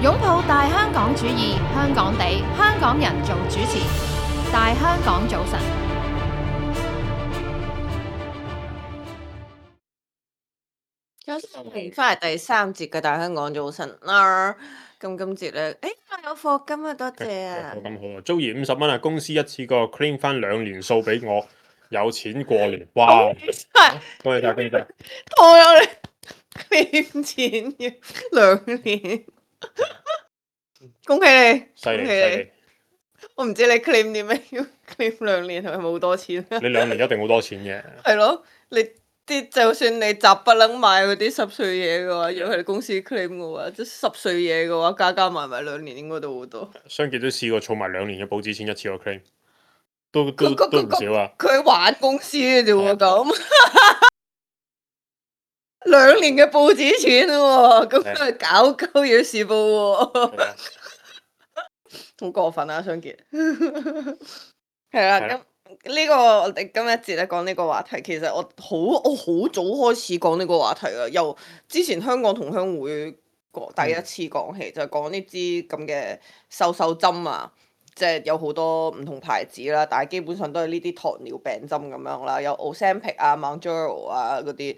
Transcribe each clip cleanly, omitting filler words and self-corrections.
擁抱大香港主義，香港地，香港人做主持。大香港早晨，翻嚟第3節嘅大香港早晨啦。咁今節咧，有課金啊，多謝啊！咁好啊，租業50蚊啊，公司一次過 claim 翻2年數俾我，有錢過年，哇！恭喜晒，恭喜晒！拖咗你 claim 錢要2年，恭喜你，犀利恭喜你！我唔知你 claim 啲咩，要 claim 2年係咪好多錢啊？你2年一定好多錢嘅。係咯，你啲就算你雜不楞買嗰啲濕碎嘢嘅話，如果係公司 claim 嘅話，即濕碎嘢嘅話，加埋2年應該都好多。雙傑都試過儲埋2年嘅保紙錢一次過 claim，都唔少啊！佢玩公司嘅啫喎，咁2年嘅報紙錢喎，咁佢搞鳩嘢事報喎，好過分啊！雙傑係啦，咁呢個我哋今一節咧講呢個話題，其實我好早開始講呢個話題啦，由之前香港同鄉會第一次講起，就係講呢支咁嘅瘦針啊。即係有好多唔同牌子啦，但係基本上都係呢啲糖尿病針咁樣啦，有 Ozempic 啊、Mounjaro 啊嗰啲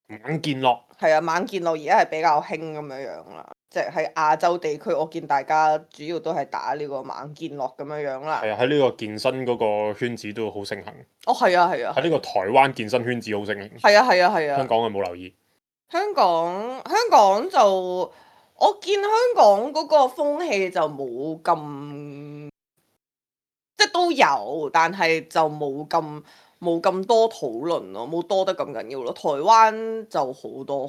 猛健樂係啊，猛健樂而家係比較興咁樣啦，即係喺亞洲地區，我見大家主要都係打呢個猛健樂咁樣啦。係啊，喺呢個健身嗰個圈子都好盛行。哦，係啊，係啊。喺呢個台灣健身圈子好盛行。係啊，係啊，係啊。香港係冇留意。香港就我見香港嗰個風氣就冇咁，即係都有，但係就冇咁多討論咯，冇多得咁緊要咯。台灣就好多，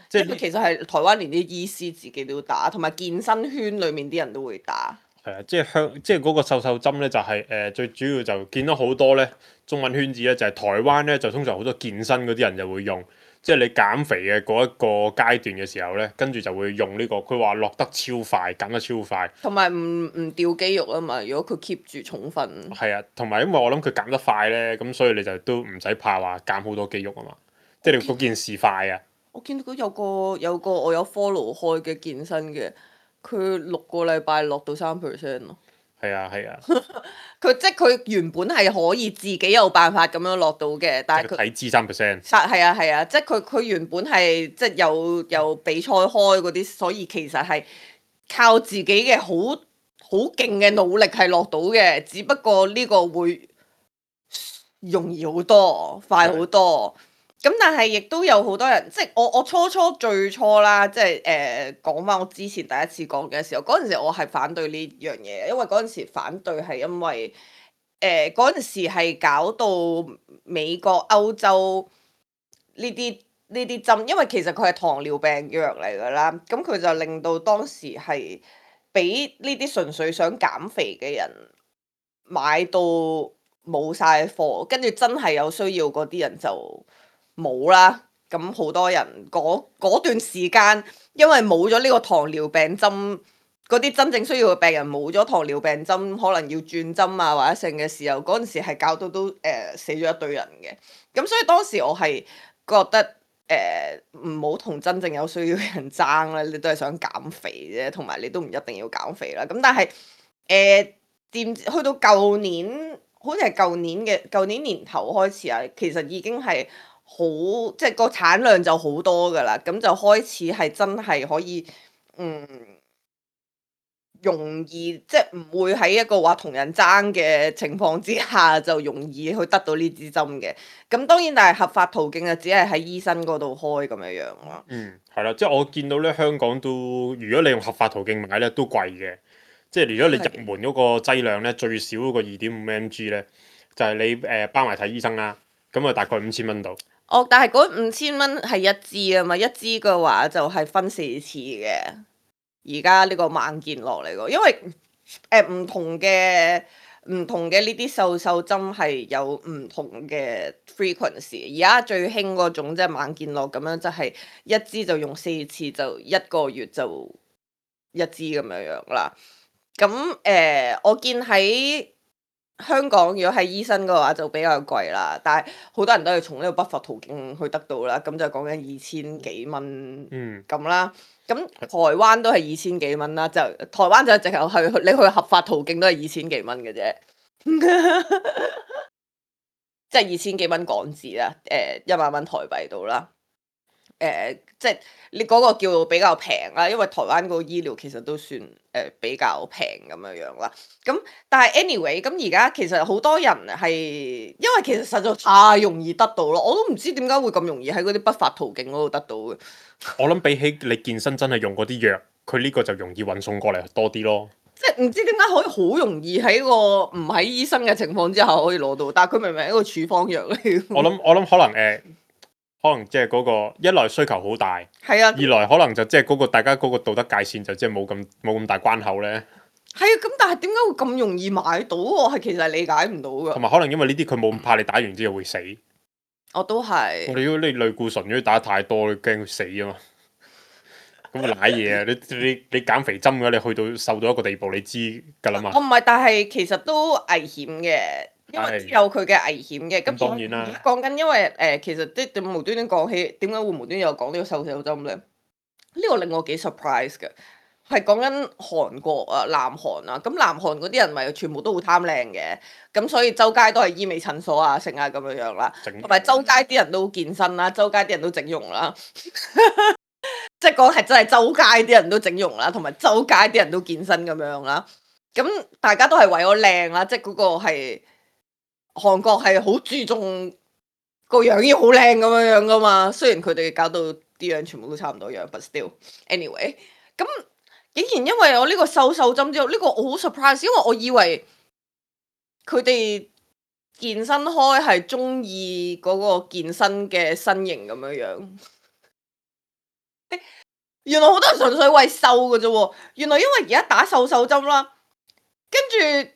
即係其實係台灣連啲醫師自己都打，同埋健身圈裡面啲人都會打。係啊，即係嗰個瘦針咧，就係最主要就見到好多咧中文圈子咧，就係台灣咧就通常好多健身嗰啲人就會用。即係你減肥嘅嗰一個階段嘅時候咧，跟住就會用呢個，佢話落得超快，減得超快，同埋唔掉肌肉啊嘛。如果佢 keep 住重訓，係啊，同埋因為我諗佢減得快咧，咁所以你就都唔使怕話減好多肌肉啊嘛。即係你嗰件事快啊！我見到有個我有 follow 開嘅健身嘅，佢6個禮拜落到3% 咯。係啊。佢原本係可以自己有辦法咁樣落到嘅，但係佢體脂3%。係啊，即係佢原本係即係有比賽開嗰啲，所以其實係靠自己嘅好勁嘅努力係落到嘅，只不過呢個會容易好多，快好多。咁但係亦都有好多人，即係我最初啦，即係講翻我之前第一次講嘅時候，嗰陣時我係反對呢樣嘢，因為嗰陣時反對係因為嗰陣時係搞到美國、歐洲呢啲針，因為其實佢係糖尿病藥嚟㗎啦，咁佢就令到當時係俾呢啲純粹想減肥嘅人買到冇晒貨，跟住真係有需要嗰啲人就冇啦。咁好多人嗰段時間，因為冇咗呢個糖尿病針，嗰啲真正需要嘅病人冇咗糖尿病針，可能要轉針啊或者剩嘅時候，嗰陣時係搞到都死咗一堆人嘅。咁所以當時我係覺得唔好同真正有需要嘅人爭啦，你都係想減肥啫，同埋你都唔一定要減肥啦。咁但係去到舊年，好似係舊年年頭開始啊，其實已經係即係個產量就好多㗎啦，咁就開始係真係可以容易，即係唔會喺一個話同人爭嘅情況之下就容易去得到呢支針嘅。咁當然，但係合法途徑就只係喺醫生嗰度開咁樣咯。係啦，即係我見到咧香港都，如果你用合法途徑買咧都貴嘅。即係如果你入門嗰個劑量咧最少嗰個2.5 mg 咧，就係你包埋睇醫生啦，咁啊大概5000蚊度。哦，但係嗰5000蚊係一支啊嘛，一支嘅話就係分4次嘅。而家呢個猛健落嚟個，因為唔同嘅呢啲瘦針係有唔同嘅 frequency。而家最興嗰種即係猛健落咁樣，就係一支就用4次，就1個月就一支咁樣啦。咁我見喺香港如果係醫生嘅話就比較貴啦，但係好多人都係從呢個不法途徑去得到啦，咁就講緊2000幾蚊咁啦。咁台灣都係2000幾蚊啦，就台灣就淨係你去合法途徑都係2000幾蚊嘅啫，即係2000幾蚊港紙啦，10000蚊台幣到啦。即係你嗰個叫比較平啦，因為台灣嗰個醫療其實都算比較平咁樣樣啦。咁但係 anyway，咁而家其實好多人係因為其實實在太容易得到咯，我都唔知點解會咁容易喺嗰啲不法途徑嗰度得到嘅。我諗比起你健身真係用嗰啲藥，佢呢個就容易運送過嚟多啲咯。即係唔知點解可以好容易喺個唔喺醫生嘅情況之下可以攞到，但係佢明明係一個處方藥嚟。我諗可能可能即係嗰個一來需求好大，係啊，二來可能就即係嗰個大家嗰個道德界線就即係冇咁大關口咧。係啊，咁但係點解會咁容易買到？我係其實係理解唔到㗎。同埋可能因為呢啲佢冇咁怕你打完之後會死。我都係。我哋如果你類固醇如果打得太多，你驚佢死啊嘛。咁咪賴嘢啊！你減肥針嘅話，你去到瘦到一個地步，你知㗎啦嘛。我唔係，但係其實都危險嘅，因為有佢嘅危險嘅。咁當然啦。講緊因為其實即係無端端講起，點解會無端又講呢個瘦手針咧？呢個令我幾 surprise 嘅，係講緊韓國啊、南韓啊。咁南韓嗰啲人咪全部都好貪靚嘅，咁所以周街都係醫美診所啊、成啊咁樣樣啦，同埋周街啲人都健身啦，周街啲人都整容啦。即係講係真係周街啲人都整容啦，同埋周街啲人都健身咁樣啦。咁大家都係為咗靚啦，即係嗰個係韓國係好注重個樣要好靚咁樣樣噶嘛。雖然佢哋搞到啲樣全部都差唔多樣，but still anyway。咁竟然因為我呢個瘦針之後，呢個我好 surprise，因為我以為佢哋健身開係中意嗰個健身嘅身形咁樣樣。原來好多人純粹為瘦嘅啫喎，原來因為而家打瘦針啦，跟住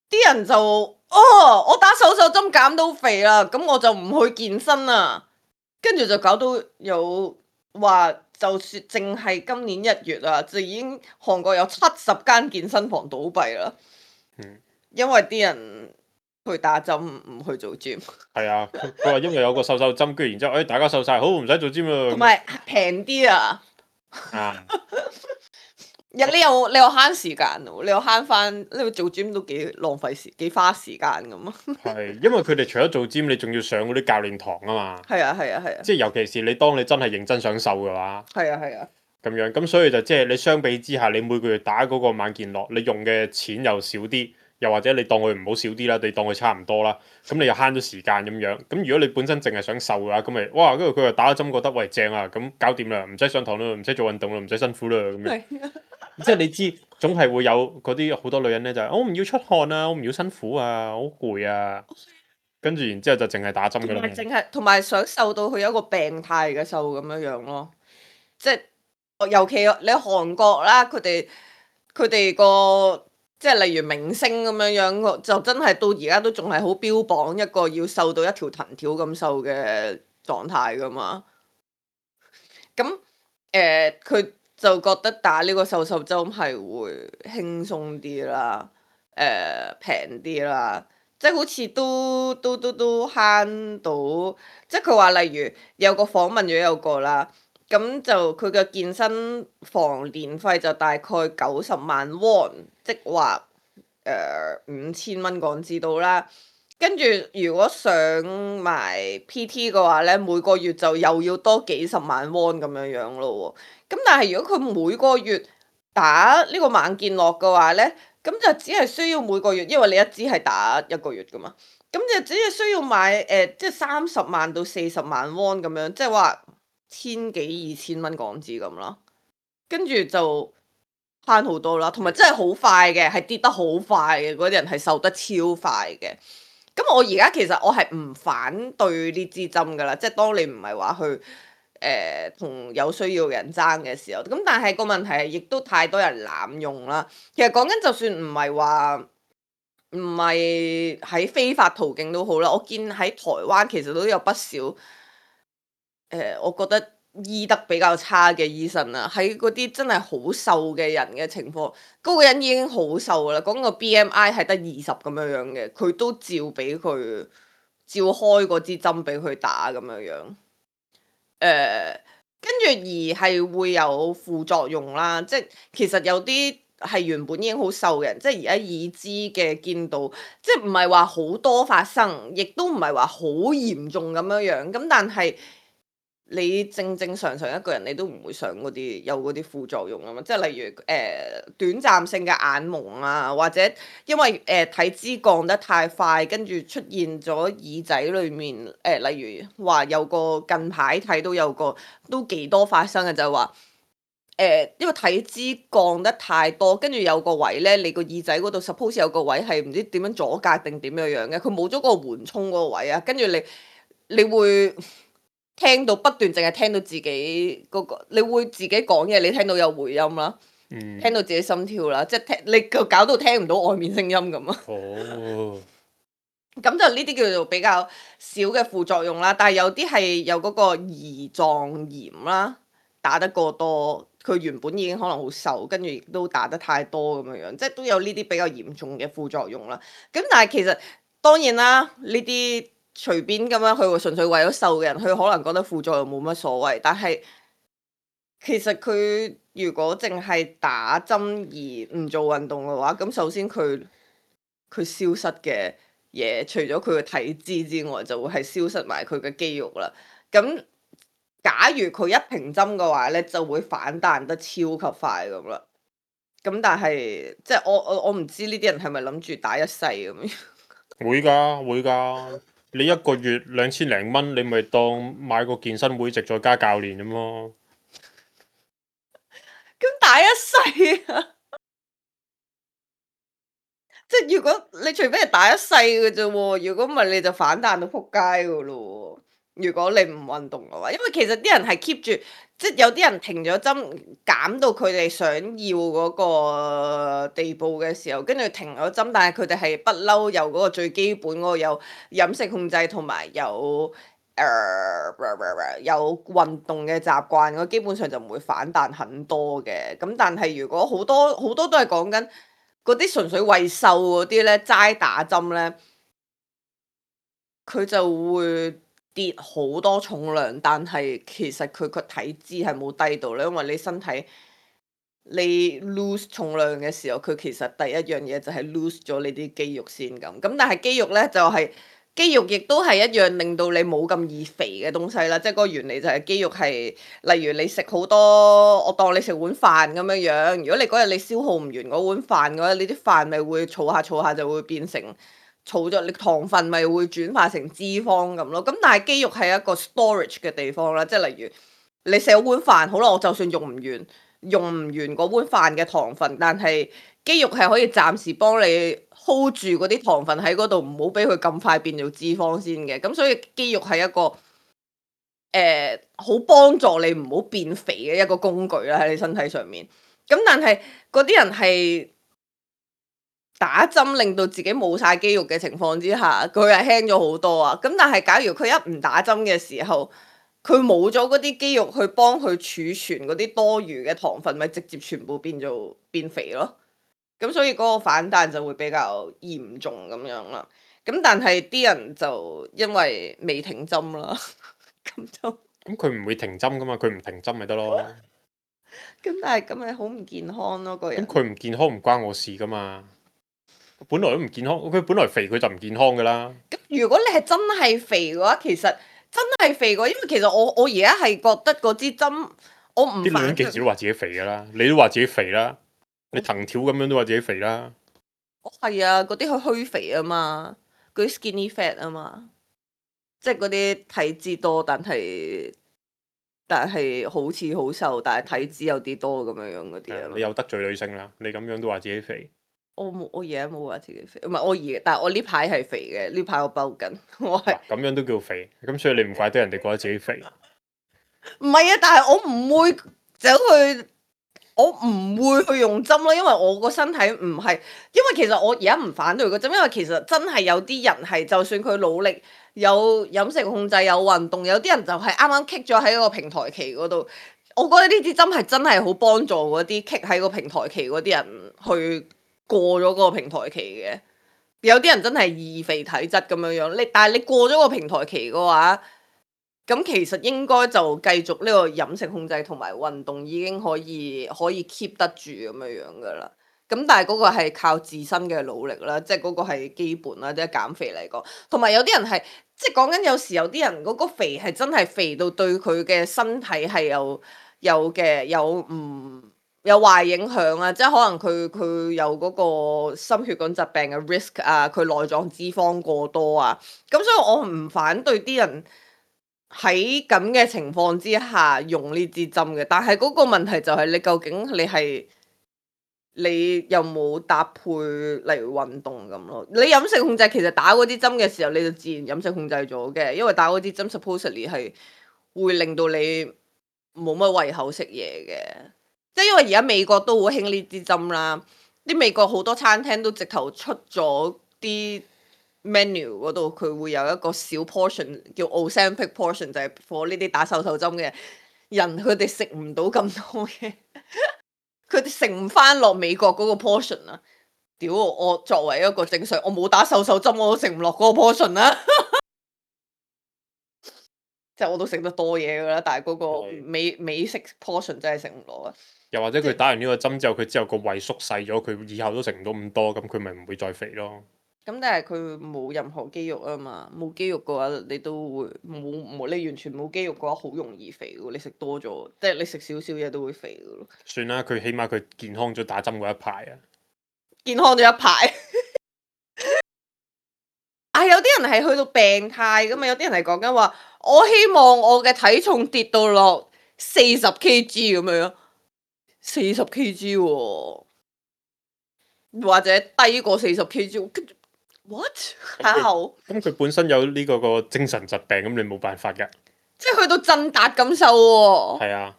啲人就我打瘦針減到肥啦，咁我就唔去健身啦，跟住就搞到有話，就算淨係今年1月啊，就已經韓國有70間健身房倒閉啦，因為啲人去打針唔去做 gym。係啊，佢話因為有個瘦針，跟住然之後大家瘦晒，好唔使做 gym 啦。同埋平啲啊！你又慳時間喎，你又慳翻，你做 gym 都幾浪費幾花時間咁啊。係，因為佢哋除咗做 gym，你仲要上嗰啲教練堂啊嘛。係啊。即係尤其是當你真係認真想瘦嘅話。係啊。咁樣，咁所以就即係你相比之下，你每個月打嗰個猛健樂，你用嘅錢又少啲。又或者你當佢唔好少啲啦，你當佢差唔多啦，咁你又慳咗時間咁樣。咁如果你本身淨係想瘦嘅話，咁咪哇，跟住佢又打咗針覺得喂正啊，咁搞掂啦，唔使上堂啦，唔使做運動啦，唔使辛苦啦咁樣。即係你知總係會有嗰啲好多女人咧就係我唔要出汗啊，我唔要辛苦啊，好攰啊，跟住然之後就淨係打針㗎啦。同埋想瘦到佢有一個病態嘅瘦咁樣樣咯，即係尤其你韓國啦，佢哋個。即係例如明星咁樣樣，就真係到而家都仲係好標榜一個要瘦到一條藤條咁瘦嘅狀態噶嘛。咁佢就覺得打呢個瘦針係會輕鬆啲啦，平啲啦，即係好似都慳到。即係佢話例如有個訪問咗有個啦。咁就佢嘅健身房年費就大概90萬 won，即話5000蚊港紙到啦。跟住如果上埋 PT 嘅話咧，每個月就又要多幾十萬 won 咁樣樣咯喎。咁但係如果佢每個月打呢個猛健樂嘅話咧，咁就只係需要每個月，因為你一支係打1個月噶嘛，咁就只係需要買即係30萬到40萬 won 咁樣，即係話1000幾2000蚊港紙咁啦，跟住就慳好多啦，同埋真係好快嘅，係跌得好快嘅，嗰啲人係瘦得超快嘅。咁我而家其實我係唔反對呢支針噶啦，即係當你唔係話去同有需要嘅人爭嘅時候，咁但係個問題係亦都太多人濫用啦。其實講緊就算唔係喺非法途徑都好啦，我見喺台灣其實都有不少我覺得醫得比較差嘅醫生啊，喺嗰啲真係好瘦嘅人嘅情況，嗰個人已經好瘦啦，講個 BMI 係得20咁樣樣嘅，佢都照俾佢照開嗰支針俾佢打咁樣樣。跟住而係會有副作用啦，即係其實有啲係原本已經好瘦嘅人，即係而家已知嘅見到，即係唔係話好多發生，亦都唔係話好嚴重咁樣樣，咁但係你正正常常一個人你都唔會想嗰啲有嗰啲副作用啊嘛，即係例如短暫性嘅眼蒙啊，或者因為體脂降得太快，跟住出現咗耳仔裏面例如話有個近排睇到有個都幾多發生嘅就係話因為體脂降得太多，跟住有個位咧，你個耳仔嗰度 suppose 有個位係唔知點樣阻隔定點樣樣嘅，佢冇咗個緩衝嗰個位啊，跟住你會聽到不斷淨係聽到自己嗰個，你會自己講嘢，你聽到有回音啦，聽到自己心跳啦，即係你搞到聽唔到外面聲音咁啊。哦，咁就呢啲叫做比較少嘅副作用啦，但係有啲係有嗰個胰臟炎啦，打得過多，佢原本已經可能好瘦，跟住亦都打得太多咁樣樣，即係都有呢啲比較嚴重嘅副作用啦。咁但係其實當然啦，呢啲隨便咁樣佢純粹為咗瘦嘅人，佢可能覺得副作用冇乜所謂，但係其實佢如果淨係打針而唔做運動嘅話，咁首先佢消失嘅嘢，除咗佢嘅體脂之外，就會係消失埋佢嘅肌肉啦。咁假如佢一平針嘅話咧，就會反彈得超級快咁啦。咁但係即係我唔知呢啲人係咪諗住打一世咁樣？會㗎會㗎，你一個月2000零蚊，你咪當買個健身會籍再加教練咁咯。咁打一世啊！即係如果你除非係打一世嘅啫喎，如果唔係你就反彈到撲街噶咯喎。如果你唔運動嘅話，因為其實啲人係 keep 住，即係有啲人停咗針減到佢哋想要嗰個地步嘅時候，跟住停咗針，但係佢哋係不嬲有嗰個最基本嗰個有飲食控制同埋有運動嘅習慣，我基本上就唔會反彈很多嘅。咁但係如果好多好多都係講緊嗰啲純粹為瘦嗰啲咧，齋打針咧，佢就會跌好多重量，但係其實佢個體脂係冇低到咧，因為你身體你 lose 重量嘅時候，佢其實第一樣嘢就係 lose 咗你啲肌肉先咁。咁但係肌肉咧就係肌肉，亦都係一樣令到你冇咁易肥嘅東西啦。即係嗰個原理就係肌肉係，例如你食好多，我當你食碗飯咁樣樣。如果你嗰日你消耗唔完嗰碗飯嘅話，你啲飯咪會儲下儲下就會變成儲咗，你糖分咪會轉化成脂肪咁咯。咁但係肌肉係一個 storage 嘅地方啦，即係例如你食咗碗飯，好啦，我就算用唔完嗰碗飯嘅糖分，但係肌肉係可以暫時幫你 hold 住嗰啲糖分喺嗰度，唔好俾佢咁快變做脂肪先嘅。咁所以肌肉係一個好幫助你唔好變肥嘅一個工具啦，喺你身體上面。咁但係嗰啲人係打針令到自己冇晒肌肉嘅情況之下，佢係輕咗好多啊。咁但係假如佢一唔打針嘅時候，佢冇咗嗰啲肌肉去幫佢儲存嗰啲多餘嘅糖分，咪直接全部變肥咯。咁所以嗰個反彈就會比較嚴重咁樣啦。咁但係啲人就因為未停針啦，咁就咁佢唔會停針噶嘛，佢唔停針咪得咯。咁但係咁咪好唔健康咯，個人。咁佢唔健康唔關我事噶嘛，本來都唔健康，佢本來肥佢就唔健康噶啦。咁如果你係真係肥嘅話，其實真係肥嘅話，因為其實我而家係覺得嗰支針，我唔啲女人幾時都話自己肥噶啦，你都話自己肥啦，你藤條咁樣都話自己肥啦。係啊，嗰啲係虛肥啊嘛，嗰啲 skinny fat 啊嘛，即係嗰啲體脂多，但係好似好瘦，但係體脂有啲多咁樣樣嗰啲啊嘛。你又得罪女性啦，你咁樣都話自己肥。我而家冇話自己肥，唔係但係我呢排係肥嘅，呢排我飽緊，我係咁樣都叫肥，咁所以你唔怪得人哋覺得自己肥。唔係啊？但係我唔會走去我唔會去用針咯，因為我個身體唔係，因為其實我而家唔反對個針，因為其實真係有啲人係，就算佢努力有飲食控制有運動，有啲人就係啱啱棘咗喺個平台期嗰度。我覺得呢啲針係真係好幫助嗰啲棘喺個平台期嗰啲人去過咗個平台期嘅。有啲人真係易肥體質咁樣樣，但係你過咗個平台期嘅話，咁其實應該就繼續呢個飲食控制同埋運動已經可以 keep 得住咁樣樣噶啦。咁但係嗰個係靠自身嘅努力啦，即係嗰個係基本啦，即係減肥嚟講。同埋有啲人係即係講緊有時有啲人嗰個肥係真係肥到對佢嘅身體係有壞影響啊！即係可能佢有嗰個心血管疾病嘅 risk 啊，佢內臟脂肪過多啊。咁所以我唔反對啲人喺咁嘅情況之下用呢支針嘅，但係嗰個問題就係你究竟你有冇搭配例如運動咁咯？你飲食控制其實打嗰啲針嘅時候，你就自然飲食控制咗嘅，因為打嗰啲針 supposedly 係會令到你冇乜胃口食嘢嘅。即係因為而家美國都好興呢啲針啦，啲美國好多餐廳都直頭出咗啲 menu 嗰度，佢會有一個小 portion 叫 Ozempic portion， 就係 for 呢啲打瘦手針嘅人，佢哋食唔到咁多嘅，佢哋食唔翻落美國嗰個 portion 啊！屌我作為一個正常，我冇打瘦手針，我都食唔落嗰個 portion 啦。即係我都食得多嘢噶啦，但係嗰個美式 portion 真係食唔落啊！又或者佢打完呢個針之後，佢之後個胃縮細咗，佢以後都食唔到咁多，咁佢咪唔會再肥咯。咁但係佢冇任何肌肉啊嘛，冇肌肉嘅話，你都會冇你完全冇肌肉嘅話，好容易肥嘅。你食多咗，即係你食少少嘢都會肥嘅咯。算啦，佢起碼佢健康咗打針嗰一排啊！健康咗一排。啊，有啲人係去到病態噶嘛，有啲人係講緊話，我希望我嘅體重跌到落40 kg 咁樣。40 kg 喎，或者低過40 kg，what？ How？咁佢本身有呢個精神疾病，咁你冇辦法㗎。即係去到振達咁瘦喎。係啊。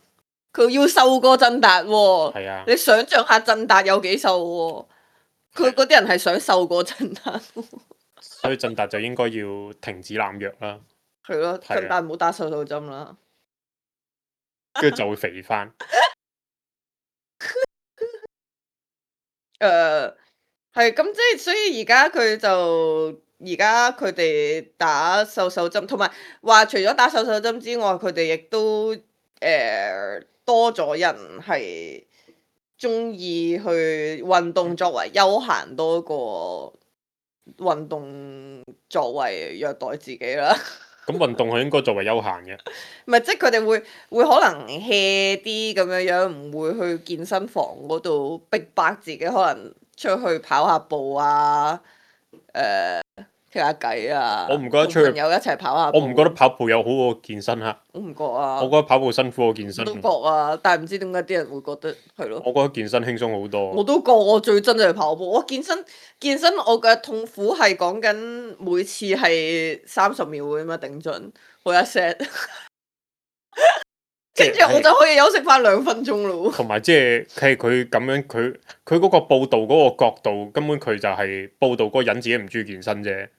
佢要瘦過振達喎。係啊。你想象下振達有幾瘦喎？佢嗰啲人係想瘦過振達。所以振達就應該要停止濫藥啦。係咯，振達唔好打瘦手針啦。跟住就會肥翻。係咁，即係所以而家佢哋打瘦手針，同埋話除咗打瘦手針之外，佢哋亦都多咗人係中意去運動作為休閒多過運動作為虐待自己啦。咁運動係應該作為休閒嘅。唔係，即係佢哋會可能 hea 啲咁樣樣，唔會去健身房嗰度逼迫自己，可能出去跑下步啊，傾下偈啊。我唔覺得出去朋友一齊跑下步。我唔覺得跑步有好過健身嚇。我唔覺啊。我覺得跑步辛苦過健身。我都覺啊，但係唔知點解啲人會覺得係咯。我覺得健身輕鬆好多。我都覺，我最憎就係跑步。我健身，我嘅痛苦係講緊每次係30秒嘅嘛，頂盡我一 set，跟住我就可以休息翻2分鐘咯。同埋即係佢咁樣，佢嗰個報導嗰個角度，根本佢就係報導嗰個人自己唔中意健身啫。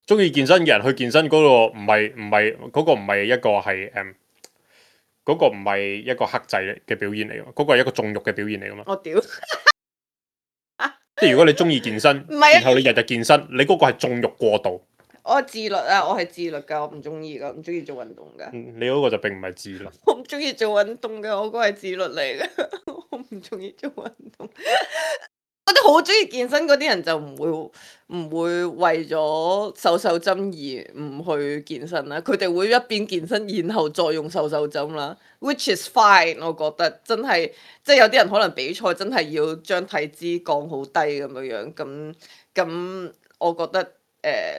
中意健身嘅人去健身嗰個唔係嗰個唔係一個係嗰個唔係一個克制嘅表現嚟㗎嘛，嗰個係一個縱慾嘅表現嚟㗎嘛。我屌！即係如果你中意健身，然後你日日健身，你嗰個係縱慾過度。我係自律啊！我係自律㗎，我唔中意㗎，唔中意做運動㗎。你嗰個就並唔係自律。我唔中意做運動㗎，我嗰個係自律嚟嘅。我唔中意做運動。嗰啲好中意健身嗰啲人就唔會為咗瘦手針而唔去健身啦。佢哋會一邊健身，然後再用瘦手針啦。Which is fine，我覺得真係即係有啲人可能比賽真係要將體脂降好低咁樣樣，咁我覺得。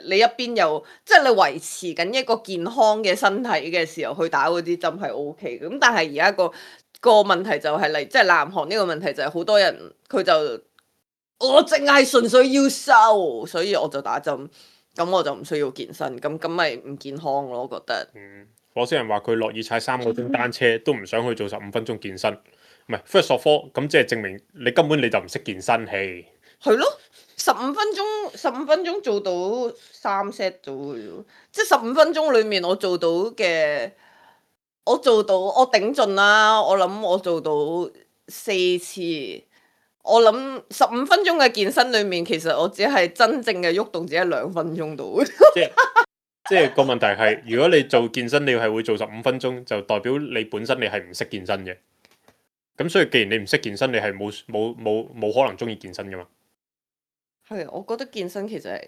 你一邊又即係你維持緊一個健康嘅身體嘅時候去打嗰啲針係 OK 嘅，咁但係而家個問題就係即係南韓呢個問題就係好多人佢就我淨係純粹要瘦，所以我就打針，咁我就唔需要健身，咁咪唔健康咯，我覺得。火星人話佢樂意踩3個鐘單車，都唔想去做15分鐘健身。唔係 first of all，咁即係證明你根本你就唔識健身氣。係咯，15分鐘做到3 set 到嘅啫，即係15分鐘裡面我做到嘅，我頂盡啦，我諗我做到4次。我諗15分鐘嘅健身裡面，其實我只係真正嘅喐動只係2分鐘到。即係個問題係，如果你做健身，你係會做15分鐘，就代表你本身你係唔識健身嘅。咁所以既然你唔識健身，你係冇可能中意健身噶嘛。係，我覺得健身其實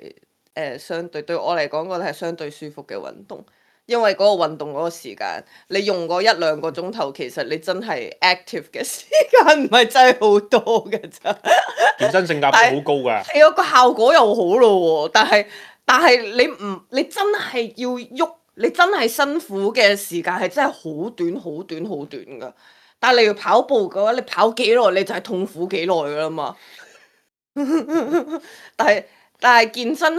係相對我嚟講，覺得係相對舒服嘅運動，因為嗰個運動嗰個時間，你用嗰1-2個鐘頭，其實你真係 active 嘅時間唔係真係好多嘅咋。健身性價比好高㗎。係啊，個效果又好咯喎，但係你真係要喐，你真係辛苦嘅時間係真係好短好短好短㗎。但係你要跑步嘅話，你跑幾耐你就係痛苦幾耐㗎啦嘛。但係健身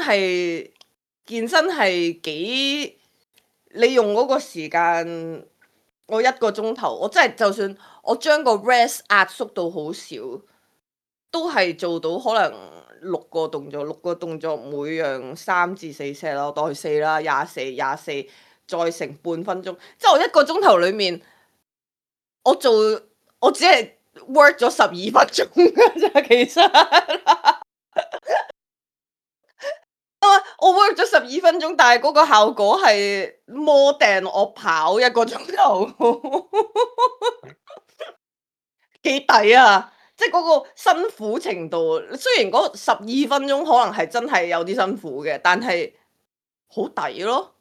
係幾，你用嗰個時間，我1個鐘頭，我真係就算我將個 rest 壓縮到好少，都係做到可能6個動作，每樣3至4 set 啦，我當佢4啦，24再乘半分鐘，即係我1個鐘頭裡面，我只係 work 咗12分鐘㗎咋，其實。我 work 咗12分鐘，但係嗰個效果係 more than 我跑1個鐘頭，幾抵啊！即係嗰個辛苦程度，雖然嗰12分鐘可能係真係有啲辛苦嘅，但係好抵咯。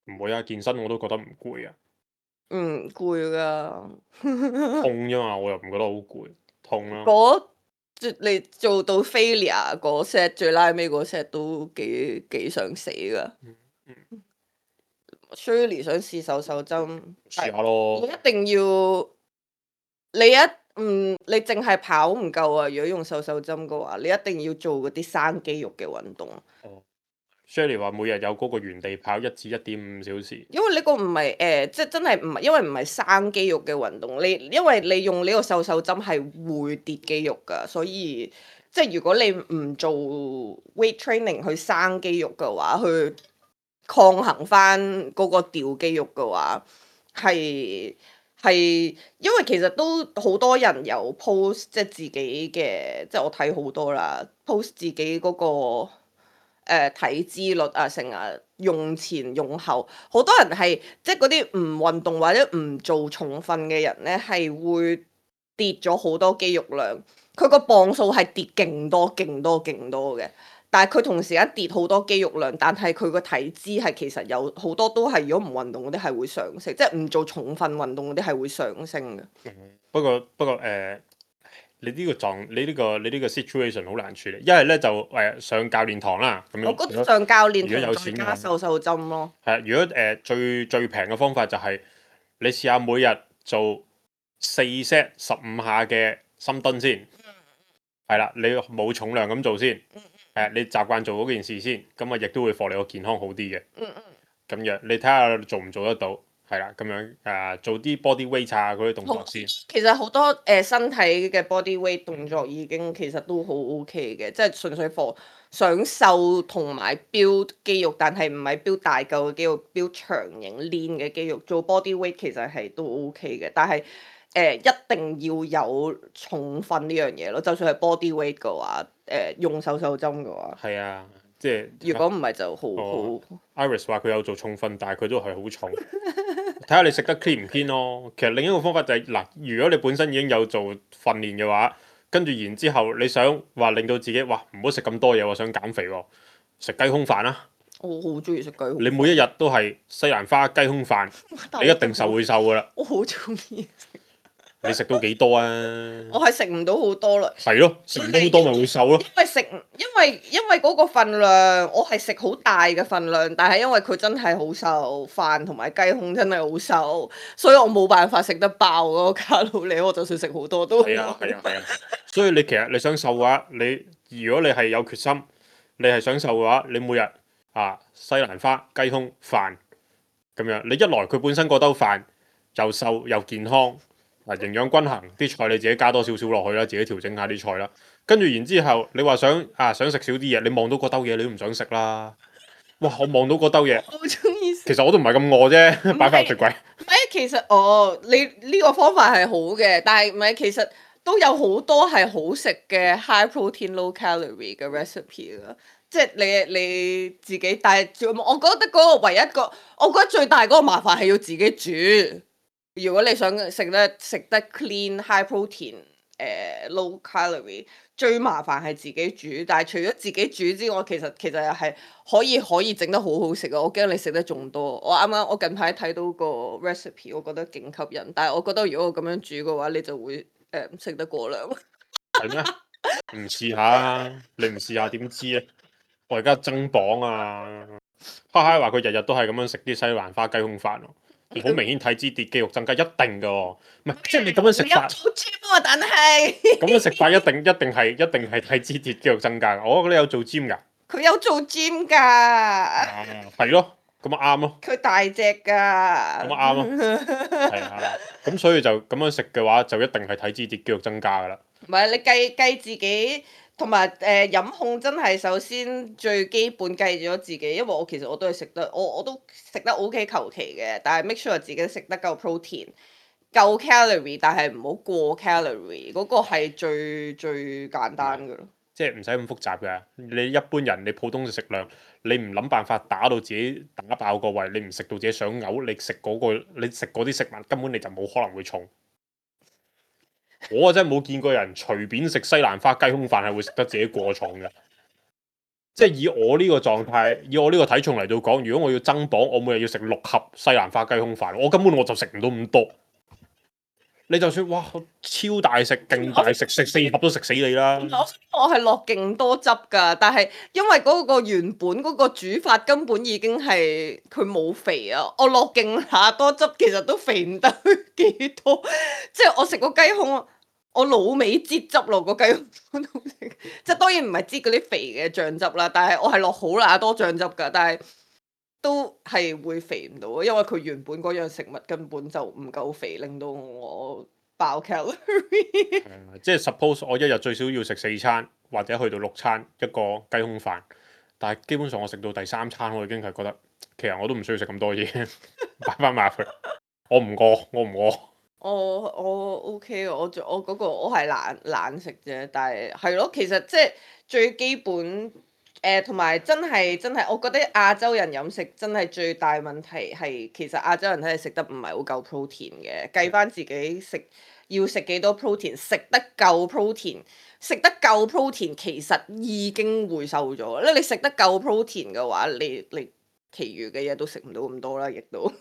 唔會啊，健身我都覺得唔攰啊。攰㗎。痛啫嘛，我又唔覺得好攰，痛啦。你做到 failure 嗰 set 最拉尾嗰 set 都幾想死㗎。Shirley 想試瘦針，試下咯。你一定要你淨係跑唔夠啊！如果用瘦針嘅話，你一定要做嗰啲生肌肉嘅運動。Shirley 話每日有嗰個原地跑1至1.5小時。因為呢個唔係即係真係唔係，因為唔係生肌肉嘅運動。因為你用呢個瘦針係會跌肌肉㗎，所以即係如果你唔做 weight training 去生肌肉嘅話，去抗衡翻嗰個掉肌肉嘅話，係因為其實都好多人有 post 即係自己嘅，即係我睇好多啦 post 自己嗰個。體脂率啊，成日用前用後，好多人係即係嗰啲唔運動或者唔做重訓嘅人咧，係會跌咗好多肌肉量。佢個磅數係跌勁多嘅，但係佢同時間跌好多肌肉量，但係佢個體脂係其實有好多都係如果唔運動嗰啲係會上升，即係唔做重訓運動嗰啲係會上升嘅。不過你呢個 situation 好難處理，一係咧就上教練堂啦，咁樣。我覺得上教練如果有堂再錢加瘦針咯。係，如果最平嘅方法就係你試下每日做4 set 15下嘅深蹲先，係啦，你冇重量咁做先，你習慣做嗰件事先，咁啊亦都會幫你個健康好啲嘅。咁樣你睇下做唔做得到？係啦，咁樣做啲 body weight 啊嗰啲動作先。其實好多身體嘅 body weight 動作已經其實都好 OK 嘅，即係純粹 for 想瘦同埋 build 肌肉，但係唔係 build 大嚿嘅肌肉，build 長型 lean 嘅肌肉。做 body weight 其實係都 OK 嘅，但係一定要有重訓呢樣嘢咯。就算係 body weight 嘅話，用瘦針嘅話，係啊，即係如果唔係就好。Iris 話佢有做重訓，但係佢都係好重。睇下你食得 clean 唔 clean 咯。其實另一個方法就係嗱，如果你本身已經有做訓練嘅話，跟住然之後你想話令到自己哇唔好食咁多嘢喎，想減肥喎，食雞胸飯啦。我好中意食雞胸。你每一日都係西蘭花雞胸飯，你一定會瘦噶啦。我好中意食。你食到幾多啊？我係食唔到好多啦。係咯，食唔到好多咪會瘦咯。因為嗰個份量，我係食好大嘅份量，但係因為佢真係好瘦，飯同埋雞胸真係好瘦，所以我冇辦法食得爆嗰個卡路里，我就算食好多都係啊。所以你其實你想瘦嘅話，如果你係有決心，你係想瘦嘅話，你每日西蘭花雞胸飯咁樣，你一來佢本身嗰兜飯又瘦又健康，營養均衡，啲菜你自己加多少少落去啦，自己調整下啲菜啦。跟住然之後，你話想食少啲嘢，你望到嗰兜嘢你都唔想食啦。哇！我望到嗰兜嘢，我好中意食。其實我都唔係咁餓啫，擺翻入雪櫃。唔係，其實你呢個方法係好嘅，但係唔係其實都有好多係好食嘅 high protein low calorie 嘅 recipe 啦。即係你自己，但係我覺得嗰個唯一我覺得最大嗰個麻煩係要自己煮。如果你想食得 clean high protein low calorie，最麻煩係自己煮。但係除咗自己煮之外，其實又係可以整得好好食啊！我驚你食得仲多。我近排睇到個 recipe，我覺得勁吸引。但係我覺得如果我咁樣煮嘅話，你就會食得過量。係咩？唔試下，你唔試下點知咧？我而家增磅啊！哈哈話佢日日都係咁樣食啲西蘭花雞胸飯喎，好明顯體脂跌肌肉增加，一定㗎喎。唔係即係你咁樣食法，你有做 gym 啊？但係咁樣食法一定係體脂跌肌肉增加㗎。我覺得你有做 gym 㗎。佢有做 gym 㗎。係咯，咁啊啱咯。佢大隻㗎。咁啊啱咯。係啊，咁所以就咁樣食嘅話，就一定係體脂跌肌肉增加㗎啦。唔係你計自己，同埋飲控真係首先最基本計咗自己，因為其實我都係食得，我都食得 OK 求其嘅，但係 make sure 自己食得夠 protein、夠 calorie，但係唔好過 calorie，嗰個係最簡單㗎咯。即係唔使咁複雜嘅，你一般人你普通嘅食量，你唔諗辦法打到自己打爆個胃，你唔食到自己想嘔，你食嗰啲食物根本你就冇可能會重。我真係冇見過人隨便食西蘭花雞胸飯係會食得自己過重嘅。即係以我呢個狀態，以我呢個體重嚟到講，如果我要增磅，我每日要食6盒西蘭花雞胸飯，我根本我就食唔到咁多。你就算哇超大食、勁大食，食4盒都食死你啦！我係落勁多汁㗎，但係因為嗰個原本嗰個煮法根本已經係佢冇肥啊，我落勁下多汁，其實都肥唔得幾多。即係我食個雞胸，我老味擠汁落個雞胸度食，即係當然唔係擠嗰啲肥嘅醬汁啦，但係我係落好乸多醬汁㗎，但係都係會肥唔到，因為佢原本嗰樣食物根本就唔夠肥，令到我爆 calorie。即係 suppose 我一日最少要食4餐，或者去到6餐一個雞胸飯，但係基本上我食到第3餐，我已經係覺得其實我都唔需要食咁多嘢，擺翻埋入去。我唔餓，我唔餓。我 OK 嘅，我嗰個我係懶食啫，但係咯，其實即係最基本同埋真係，我覺得亞洲人飲食真係最大問題係其實亞洲人真係食得唔係好夠 protein 嘅，計翻自己要食幾多 protein，食得夠 protein，其實已經會瘦咗。你食得夠 protein 嘅話，你其餘嘅嘢都食唔到咁多啦，亦都。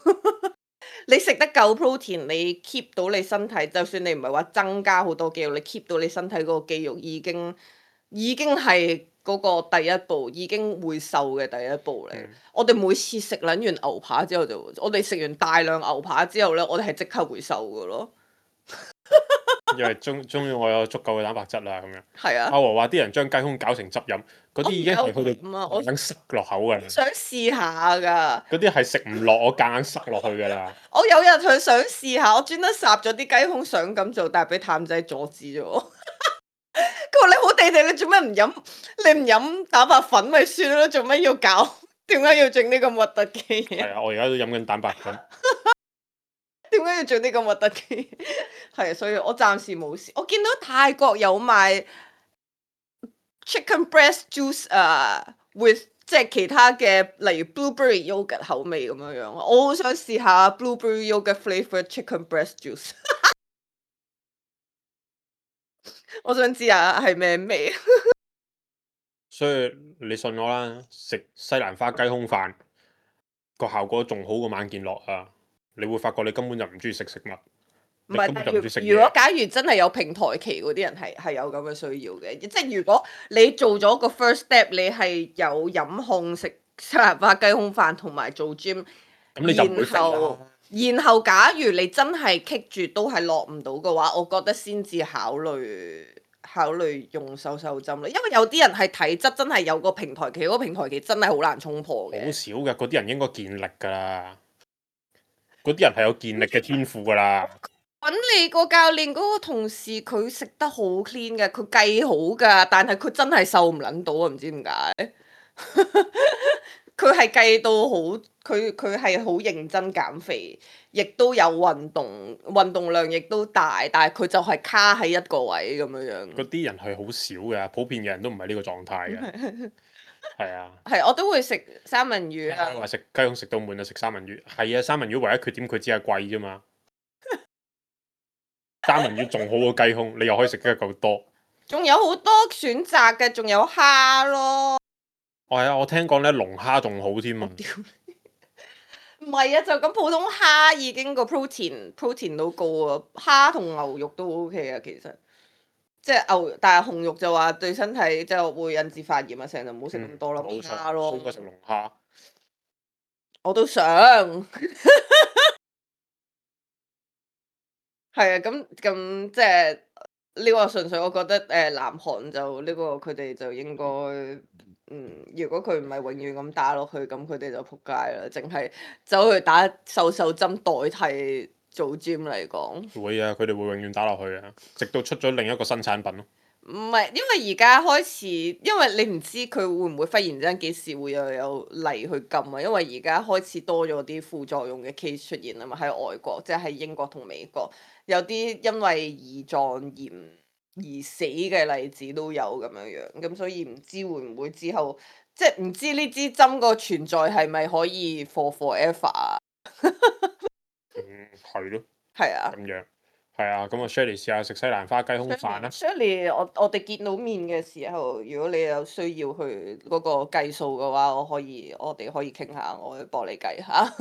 你食得夠 protein，你 keep 到你身體，就算你唔係話增加好多肌肉，你 keep 到你身體嗰個肌肉已經係嗰個第一步，已經會瘦嘅第一步嚟。我哋每次食撚完牛扒之後我哋食完大量牛扒之後呢，我哋係即刻會瘦㗎咯。因為終於我有足夠嘅蛋白質啦，咁樣。係啊。阿和話啲人將雞胸搞成汁飲，嗰啲已經係去到我想塞落口㗎啦。想試下㗎。嗰啲係食唔落，我夾硬塞落去㗎啦。我有日佢想試下，我專登烚咗啲雞胸想咁做，但係俾譚仔阻止咗我。佢話你好地地，你做咩唔飲？你唔飲蛋白粉咪算咯，做咩要搞？點解要整呢咁核突嘅嘢？係啊，我而家都飲緊蛋白粉。點解要做啲咁核突嘅？係啊，所以我暫時冇試。我見到泰國有賣 chicken breast juice with 即係其他嘅，例如 blueberry yogurt 口味咁樣樣。我好想試下 blueberry yogurt flavored chicken breast juice。我想知下係咩味。所以你信我啦，食西蘭花雞胸飯個效果仲好過晚健樂啊！你會發覺你根本就唔中意食食物。唔係，如果假如真係有平台期嗰啲人係有咁嘅需要嘅，即係如果你做咗個 first step，你係有飲控食西蘭花雞胸飯同埋做 gym，咁你就唔會肥啦。然後假如你真係棘住都係落唔到嘅話，我覺得先至考慮用瘦針啦，因為有啲人係體質真係有個平台期，嗰個平台期真係好難衝破嘅。好少嘅，嗰啲人應該健力㗎啦。嗰啲人係有健力嘅天賦㗎啦。揾你個教練嗰個同事，佢食得好 clean 嘅，佢計好㗎，但係佢真係瘦唔撚到啊！唔知點解。佢係計到好，佢係好認真減肥，亦都有運動量亦都大，但係佢就係卡喺一個位咁樣樣。嗰啲人係好少嘅，普遍嘅人都唔係呢個狀態嘅。係啊，係，我都會食三文魚啊。話食雞胸食到悶就食三文魚，係啊，三文魚唯一缺點佢只係貴啫嘛。三文魚仲好過雞胸，你又可以食得夠多。仲有好多選擇嘅，仲有蝦咯。係啊，我聽講咧龍蝦仲好添啊。屌你！唔係啊，就咁普通蝦已經個 protein 都高啊，蝦同牛肉都 OK 啊，其實。即係牛，但係紅肉就話對身體即係會引致發炎啊，成日就唔好食咁多啦，冇蝦咯。好過食龍蝦。我都想。係啊，咁即係呢個純粹我覺得南韓就呢個佢哋就應該如果佢唔係永遠咁打落去，咁佢哋就仆街啦，淨係走去打瘦針代替做 gym 嚟講。會啊，佢哋會永遠打落去啊，直到出咗另一個新產品咯。唔係，因為而家開始，因為你唔知佢會唔會忽然之間幾時會又有例去禁啊，因為而家開始多咗啲副作用嘅 case 出現啊嘛，喺外國，即係喺英國同美國，有啲因為胰臟炎而死嘅例子都有咁樣樣，咁所以唔知會唔會之後，即係唔知呢支針個存在係咪可以 for forever 啊？係咯。係啊。咁樣。係啊，咁我 Shirley 試下食西蘭花雞胸飯啦。Shirley，我哋見到面嘅時候，如果你有需要去嗰個計數嘅話，我哋可以傾下，我會幫你計下。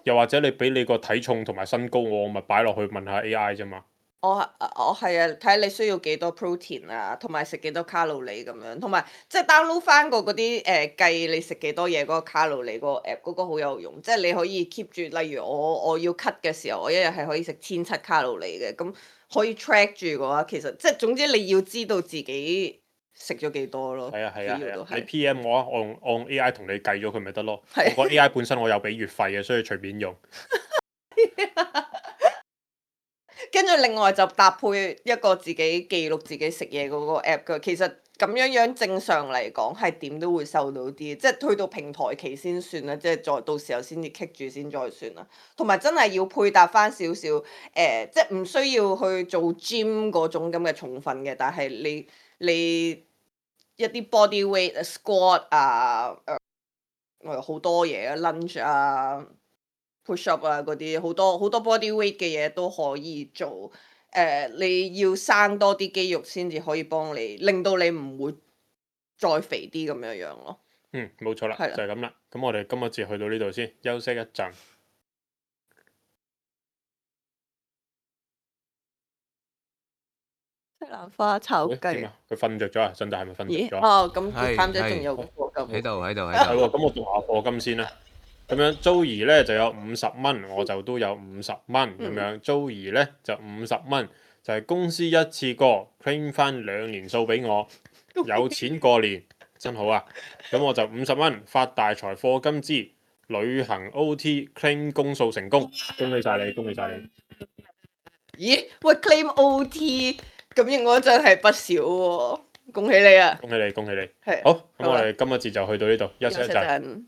又或者你俾你個體重同埋身高我咪擺落去問下 AI 啫嘛。我係啊，睇下你需要幾多 protein 啊，同埋食幾多卡路里咁樣，同埋即係 download 翻個嗰啲計你食幾多嘢嗰個卡路里嗰個 app，嗰個好有用，即係你可以 keep 住，例如我要 cut 嘅時候，我一日係可以食1700卡路里嘅，咁可以 track 住嘅話，其實即係總之你要知道自己食咗幾多咯。係啊，主要都係你 PM 我啊，我用 AI 同你計咗佢咪得咯。係我個 AI 本身我有俾月費嘅，所以隨便用。跟住另外就搭配一個自己記錄自己食嘢嗰個 app 嘅，其實咁樣正常嚟講係點都會瘦到啲，即係去到平台期先算啦，即係再到時候先至棘住先再算啦。同埋真係要配搭翻少少即係唔需要去做 gym 嗰種咁嘅重訓嘅，但係你一啲 body weight squat 啊，好多嘢啊 lunge 啊。push up 啊嗰啲好多 body weight 嘅嘢都可以做，你要生多啲肌肉先至可以幫你，令到你唔會再肥啲咁樣樣咯。冇錯啦，係啦就係咁啦。咁我哋今日節去到呢度先，休息一陣。西蘭花炒雞。點啊？佢瞓着咗啊？真係咪瞓咦？着咗？哦，咁貪姐仲有個課金。喺度係喎，咁我讀下課金先啦。咁樣 Joey 咧就有50蚊，我就都有50蚊咁樣。Joey 咧就50蚊，就係公司一次過 claim 翻2年數俾我，有錢過年真好啊！咁我就50蚊發大財課金之旅行 OT claim 公數成功，恭喜晒你，恭喜晒你！咦？喂 claim OT 咁應該真係不少喎，恭喜你啊！恭喜你，恭喜你！係。好，咁我哋今日節就去到呢度，休息一陣。